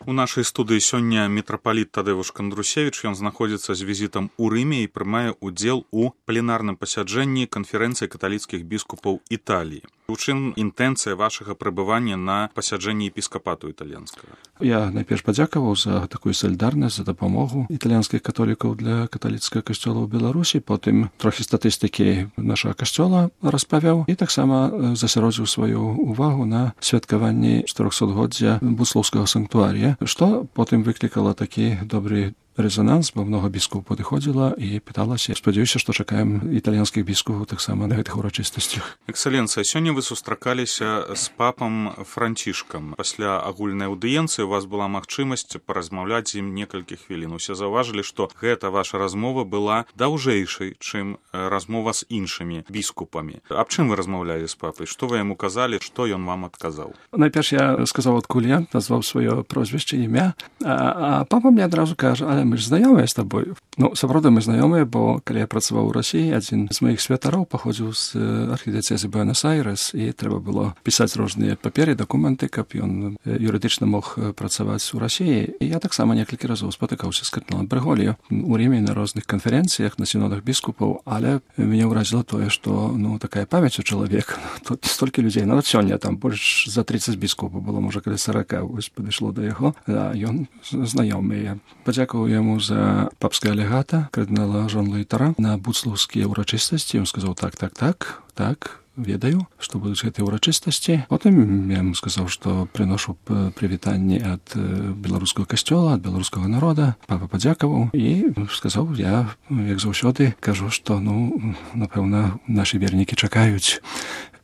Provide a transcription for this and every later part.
У нашай студыі сёння мітрапаліт Тадэвуш Кандрусевіч, ён знаходзіцца з візітам у Рыме і прымае ўдзел у пленарным пасяджэнні канферэнцыі каталіцкіх біскупаў Італіі. У чым інтэнцыя вашага прыбывання на пасяджэнні епіскапату італьянскага? Я найперш падзякаваў за такую салідарнасць, за дапамогу італьянскіх католікаў для каталіцкага касцёла ў Беларусі, потым трохі статыстыкі нашага касцёла распавяў і таксама засяродзіў сваю увагу на святкаванні 400-годдзя буслоўскага санктуарія, што потым выклікала такі добры резонанс, бо много біскупаў падыходзіла і пыталася. Спадзяюся, што чакаем італьянскіх біскупаў таксама на гэтых урачыстасцях. Эксцэленцыя, сёння вы сустракаліся з папам Францішкам. Пасля агульнай аўдыенцыі у вас была магчымасць паразмаўляць з ім некалькі хвілін. Усе заўважылі, што гэта ваша размова была даўжэйшай, чым размова з іншымі біскупамі. Аб чым вы размаўлялі з папай? Што вы яму казалі, што ён вам адказаў? Найперш я сказаў, адкуль я, назваў сваё прозвішча, імя, а папа мне адразу кажа: "Але мы ж знаёмыя з табой". Ну, сапраўды мы знаёмыя, бо калі я працаваў у Расіі, адзін з маіх святароў паходзіў з архідыцэзы Буэнос-Айрес, і трэба было пісаць розныя паперы, дакументы, каб ён юрыдычна мог працаваць у Расіі. І я таксама некалькі разоў спатыкаўся з кардыналам Брэголіё у Ріме на розных канферэнцыях, на сінодах біскупаў, але мяне ўразіла тое, што такая памяць у чалавека. Тут столькі людзей, нават сёння там больш за 30 біскупаў было, можа, каля 40, вось падышло да яго, а ён знаёмы. Я падзякаваў яму за папскага легата, кардынала Жан-Луі Таран, на буцлаўскія ўрачыстасці. Ён сказаў: так, ведаю, што будуць гэтыя ўрачыстасці. Потым я яму сказаў, што прыношу прывітанні ад беларускага касцёла, ад беларускага народа. Папа падзякаваў і сказаў: я, як заўсёды, кажу, што, напэўна, нашы вернікі чакаюць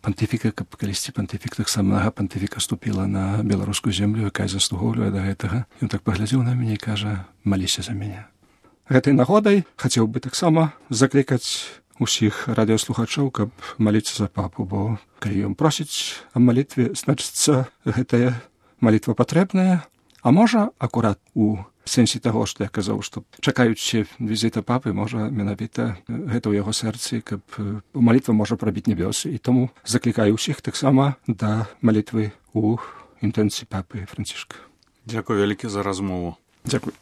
пантыфіка, каб калісьці пантыфік таксама пантыфіка ступіла на беларускую землю, якая заслугоўвае да гэтага. Ён так паглядзеў на мяне і кажа: "Маліся за мяне". Гэтай нагодай хацеў бы таксама заклікаць усіх радыёслухачоў, каб маліцца за папу, бо калі ён просіць аб малітве, значыцца, гэтая малітва патрэбная. А можа, акурат у сэнсе таго, што я казаў, што чакаючы візіта папы, можа, менавіта гэта ў яго сэрцы, каб малітва можа прабіць небёсы. І таму заклікаю ўсіх таксама да малітвы ў інтэнцыі папы Францішка. Дзякуй вялікі за размову. Дзякуй.